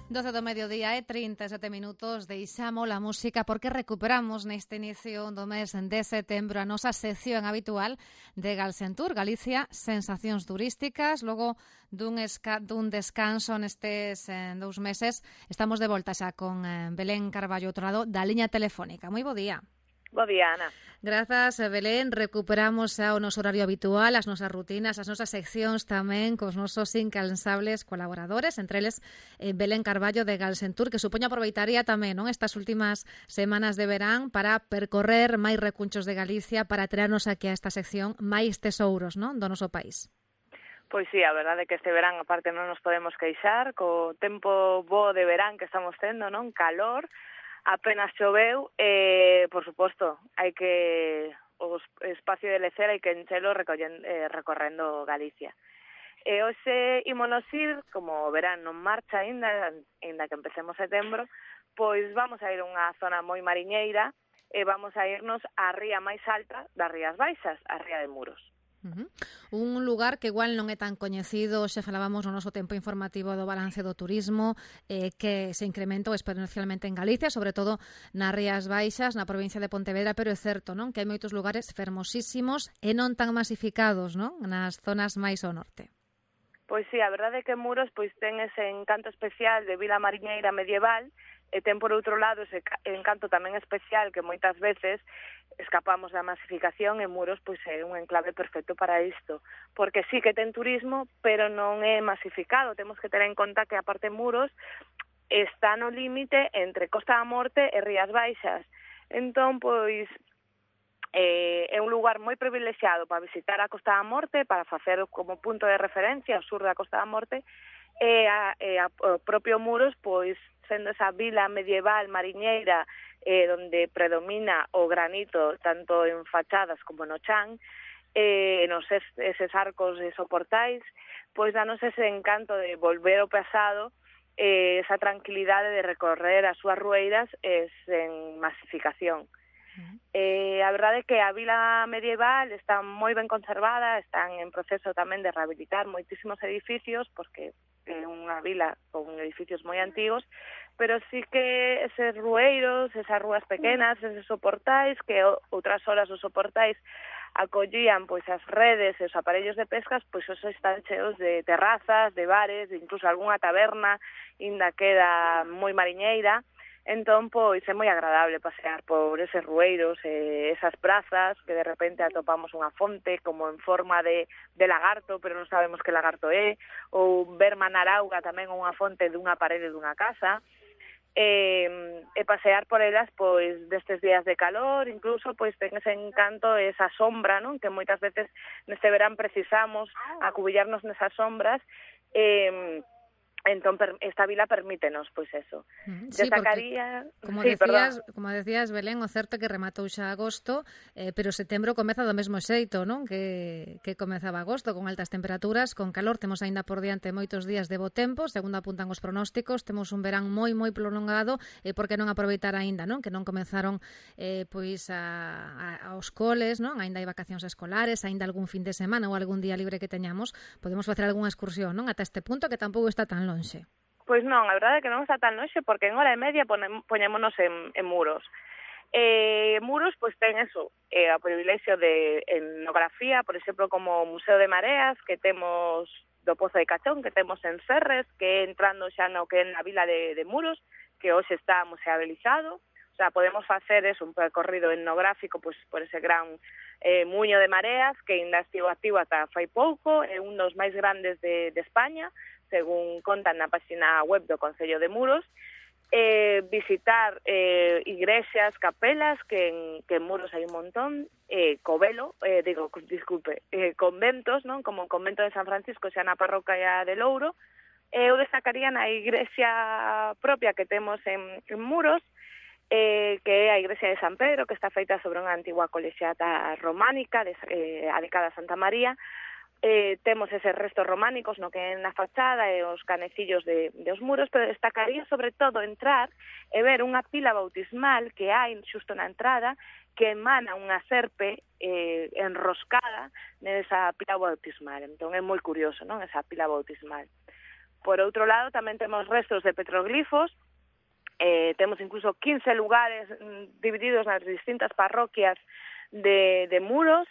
12 do mediodía e 37 minutos deixamos a música porque recuperamos neste inicio do mes de setembro a nosa sección habitual de Galsentur, Galicia, sensacións turísticas. Logo dun descanso nestes 2 meses estamos de volta xa con Belén Carballo, outro lado da liña telefónica. Moi bo día. Bo día, Ana. Grazas, Belén. Recuperamos xa o noso horario habitual, as nosas rutinas, as nosas seccións tamén cos nosos incansables colaboradores, entre eles Belén Carballo de Galsentur, que supoño aproveitaría tamén, non, estas últimas semanas de verán para percorrer máis recunchos de Galicia, para traernos aquí a esta sección máis tesouros, non, do noso país. Pois sí, a verdade é que este verán, aparte, non nos podemos queixar, co tempo bo de verán que estamos tendo, non, calor, apenas choveu, por suposto, hai que o espacio de lecer hai que enchelo recorrendo Galicia. E hoxe ímonos ir, como o verán non marcha aínda que empecemos setembro, pois vamos a ir a unha zona moi mariñeira e vamos a irnos á ría máis alta das Rías Baixas, a Ría de Muros. Un lugar que igual non é tan coñecido, xa falábamos no noso tempo informativo do balance do turismo, que se incrementou exponencialmente en Galicia, sobre todo nas Rías Baixas, na provincia de Pontevedra, pero é certo, non, que hai moitos lugares fermosísimos e non tan masificados, non, nas zonas máis ao norte. Pois sí, a verdade é que Muros pois ten ese encanto especial de vila mariñeira medieval, e ten por outro lado ese encanto tamén especial que moitas veces escapamos da masificación, e Muros pois é un enclave perfecto para isto, porque sí que ten turismo, pero non é masificado. Temos que ter en conta que aparte Muros está no límite entre Costa da Morte e Rías Baixas. Entón, pois, é un lugar moi privilexiado para visitar a Costa da Morte, para facer como punto de referencia ao sur da Costa da Morte, e o propio Muros, pois, sendo esa vila medieval mariñeira donde predomina o granito tanto en fachadas como no chan, nos eses arcos e soportais, pois danos ese encanto de volver ao pasado, esa tranquilidade de recorrer as súas rueiras sen masificación. A verdade é que a vila medieval está moi ben conservada, están en proceso tamén de rehabilitar moitísimos edificios, porque é unha vila con edificios moi antigos, pero sí que eses rueiros, esas rúas pequenas, eses soportais, que outras horas os soportais acollían pois as redes e os aparellos de pescas, pois os están cheos de terrazas, de bares, incluso algunha taberna, inda queda moi mariñeira. Entón, pois, é moi agradable pasear por eses rueiros e esas prazas, que de repente atopamos unha fonte como en forma de lagarto, pero non sabemos que lagarto é, ou ver manar auga tamén unha fonte dunha parede dunha casa, e pasear por elas, pois, destes días de calor, incluso, pois, ten ese encanto, esa sombra, non? Que moitas veces neste verán precisamos acubillarnos nesas sombras, entón esta vila permítenos, pois eso. Sí, destacaría... como decías, Belén, o certo que rematou xa agosto, pero setembro comeza do mesmo xeito, non? Que comezaba agosto, con altas temperaturas, con calor, temos aínda por diante moitos días de bo tempo, segundo apuntan os pronósticos, temos un verán moi prolongado, e por que non aproveitar aínda, non? Que non comenzaron pois aos coles, non? Aínda hai vacacións escolares, aínda algún fin de semana ou algún día libre que teñamos, podemos facer algunha excursión, non? Ata este punto que tampouco está tan lonxe. Pois non, a verdade é que non está tan lonxe, porque en hora e media poñémonos en Muros. Muros, pois ten eso, o privilexio de etnografía, por exemplo, como o Museo de Mareas, que temos do Pozo de Cachón, que temos en Serres, que entrando xa no que é na vila de Muros, que hoxe está museabilizado. O sea, podemos facer eso, un percorrido etnográfico pois por ese gran muño de mareas, que ainda estivo activo ata fai pouco, é un dos máis grandes de España, según contan na página web do Concello de Muros, visitar igrexas, capelas, que en Muros hai un montón, conventos, non? Como o convento de San Francisco, xa na parroquia de Louro. Eu destacaría na igrexa propia que temos en Muros, que é a igrexa de San Pedro, que está feita sobre unha antigua colexiata románica adicada a Santa María. Temos eses restos románicos no que é na fachada e os canecillos dos muros, pero destacaría sobre todo entrar e ver unha pila bautismal que hai xusto na entrada, que emana unha serpe enroscada nesa pila bautismal. Entón é moi curioso, non, esa pila bautismal. Por outro lado, tamén temos restos de petroglifos, temos incluso 15 lugares divididos nas distintas parroquias de Muros,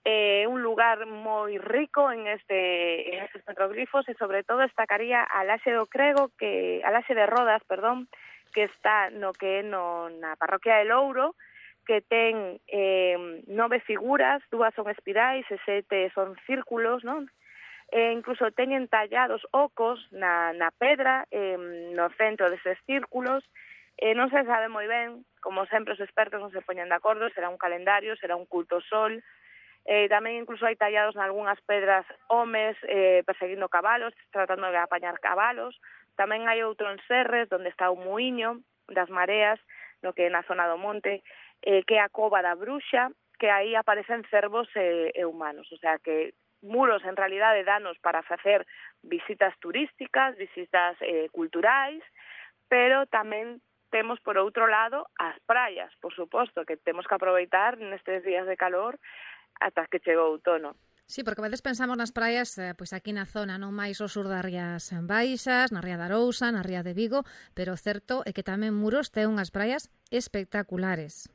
un lugar moi rico en estes petroglifos e sobre todo destacaría a Laxe de Rodas, que está na parroquia de Louro, que ten 9 figuras, 2 son espirais e 7 son círculos, non? Incluso teñen tallados ocos na pedra no centro destes círculos. Non se sabe moi ben, como sempre os expertos non se poñen de acordo, será un calendario, será un culto ao sol. Tamén incluso hai tallados nalgúnas pedras homes perseguindo cabalos, tratando de apañar cabalos. Tamén hai outro en Serres, onde está o muiño das mareas, no que é na zona do monte, que é a cova da bruxa, que aí aparecen cervos e humanos. O sea que Muros, en realidade, danos para facer visitas turísticas, visitas culturais, pero tamén temos, por outro lado, as praias, por suposto, que temos que aproveitar nestes días de calor ata que chegou o outono. Sí, porque a veces pensamos nas praias pois aquí na zona, non máis ao sur das Rías Baixas, na Ría de Arousa, na Ría de Vigo, pero o certo é que tamén Muros ten unhas praias espectaculares.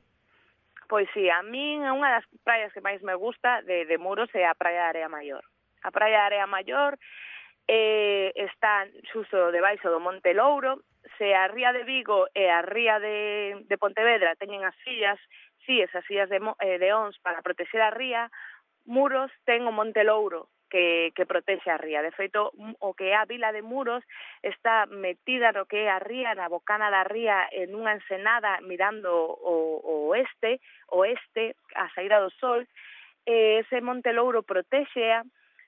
Pois sí, a min unha das praias que máis me gusta de Muros é a Praia de Area Maior. A Praia de Area Maior está xusto debaixo do Monte Louro. Se a Ría de Vigo e a Ría de Pontevedra teñen as sillas, esas sillas de Ons para protexer a ría, Muros ten o Monte Louro que protexe a ría. De feito, o que é a vila de Muros está metida no que é a ría, na bocana da ría, en unha ensenada mirando o oeste, a saída do sol. Ese Monte Louro protexea.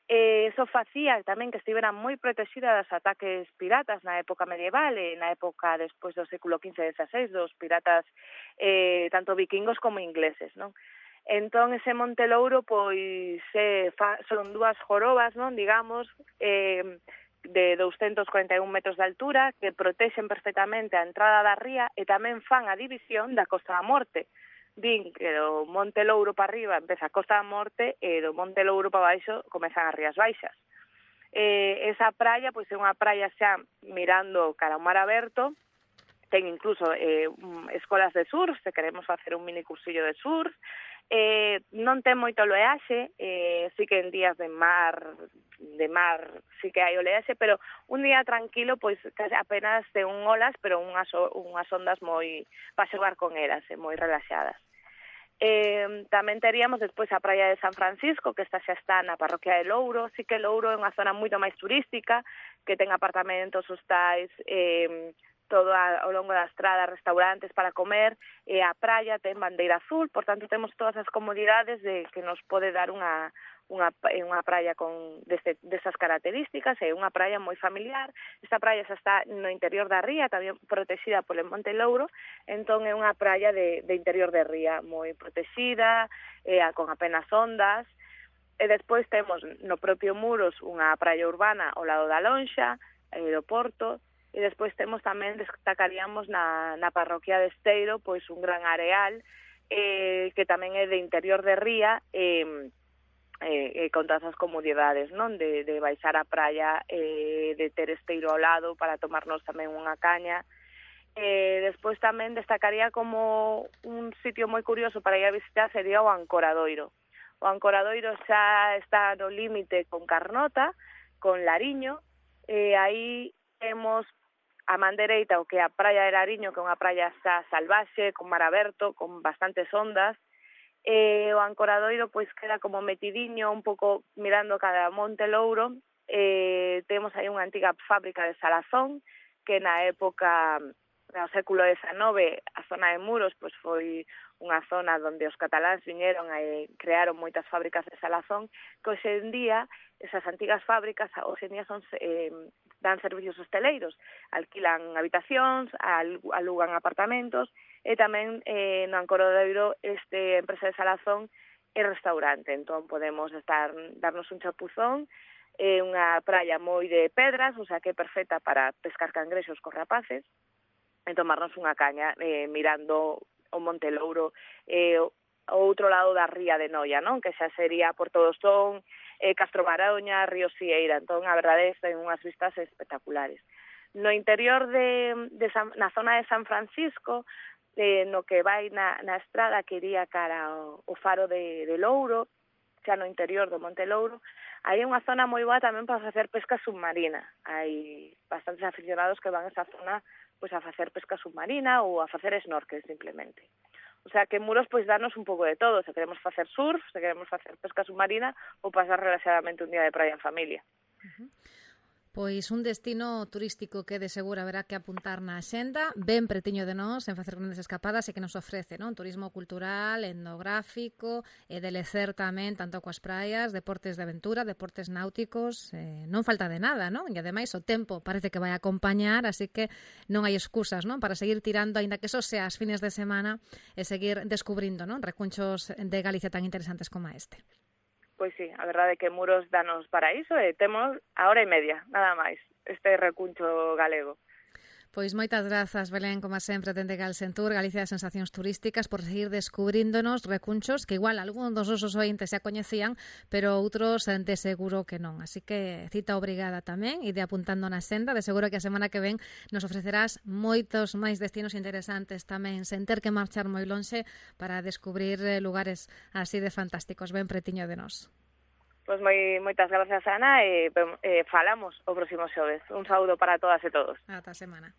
Eso facía tamén que estivera moi protexida dos ataques piratas na época medieval e na época despois do século XV e XVI, dos piratas tanto vikingos como ingleses, non? Entón, ese Monte Louro, pois, son 2 jorobas, non, digamos, de 241 metros de altura, que protexen perfectamente a entrada da ría e tamén fan a división da Costa da Morte. Din que do Monte Louro para arriba empeza a Costa da Morte e do Monte Louro para baixo comezan as Rías Baixas. Esa praia, pois, é unha praia xa mirando cara ao mar aberto, ten incluso escolas de surf, se queremos facer un mini cursillo de surf. Non ten moito oleaxe, sí que en días de mar sí que hai oleaxe, pero un día tranquilo, pois apenas ten olas, pero unhas ondas moi para xogar con elas, moi relaxadas. Tamén teríamos despois a praia de San Francisco, que esta xa está na parroquia de Louro. Sí que Louro é unha zona moito máis turística, que ten apartamentos, hostais, todo ao longo da estrada, restaurantes para comer, e a praia ten bandeira azul, por tanto temos todas as comodidades de que nos pode dar unha praia con desas características, é unha praia moi familiar. Esta praia xa está no interior da ría, tamén protexida polo Monte Louro, entón é unha praia de interior de ría, moi protexida, con apenas ondas. E despois temos no propio Muros unha praia urbana ao lado da Lonxa, aeroporto. E despois temos tamén, destacaríamos na parroquia de Esteiro, pois un gran areal que tamén é de interior de ría con todas as comodidades, non? De baixar a praia, de ter Esteiro ao lado para tomarnos tamén unha caña. Despois tamén destacaría como un sitio moi curioso para ir a visitar sería o Ancoradoiro. O Ancoradoiro xa está no límite con Carnota, con Lariño, aí temos a man dereita o que é a praia de Lariño, que é unha praia xa salvaxe, con mar aberto, con bastantes ondas. O Ancoradoiro pois queda como metidiño, un pouco mirando cada Monte Louro. Temos aí unha antiga fábrica de salazón, que na época, no século XIX, a zona de Muros pois foi unha zona onde os cataláns viñeron e crearon moitas fábricas de salazón, que hoxe en día, esas antigas fábricas, hoxe en día dan servicios hosteleiros, alquilan habitacións, alugan apartamentos, e tamén no Ancoradoiro empresa de salazón e restaurante, entón podemos darnos un chapuzón, unha praia moi de pedras, o sea que é perfecta para pescar cangrexos con rapaces, e tomarnos unha caña mirando o Monte Louro, o outro lado da ría de Noia, non? Que xa sería Porto do Son, Castro Baroña, Río Sieira. Entón, a verdade, ten unhas vistas espectaculares. No interior na zona de San Francisco, no que vai na estrada que iría cara ao faro de Louro, xa no interior do Monte Louro, hai unha zona moi boa tamén para facer pesca submarina. Hai bastantes aficionados que van a esa zona pois a facer pesca submarina ou a facer snorkel simplemente. O sea que en Muros pois darnos un pouco de todo, se queremos facer surf, se queremos facer pesca submarina ou pasar relaxadamente un día de praia en familia. Pois un destino turístico que de seguro haberá que apuntar na axenda, ben pretiño de nós, en facer grandes escapadas e que nos ofrece, non? Turismo cultural, etnográfico, e de lecer tamén, tanto coas praias, deportes de aventura, deportes náuticos, non falta de nada, non? E ademais o tempo parece que vai a acompañar, así que non hai excusas, non? Para seguir tirando, aínda que eso sea as fines de semana, e seguir descubrindo, non? Recunchos de Galicia tan interesantes como este. Pois sí, a verdade é que Muros danos para iso e temos a hora e media, nada máis, este recuncho galego. Pois moitas grazas, Belén, como sempre, dende Galsentur, Galicia de Sensacións Turísticas, por seguir descubríndonos recunchos que igual algúns dos nosos ointes xa coñecían, pero outros de seguro que non. Así que cita obrigada tamén, e de apuntando na senda, de seguro que a semana que ven nos ofrecerás moitos máis destinos interesantes tamén, sen ter que marchar moi lonxe para descubrir lugares así de fantásticos, ben pretiño de nós. Pois moitas grazas, Ana, e falamos o próximo xoves. Un saúdo para todas e todos. Ata a semana.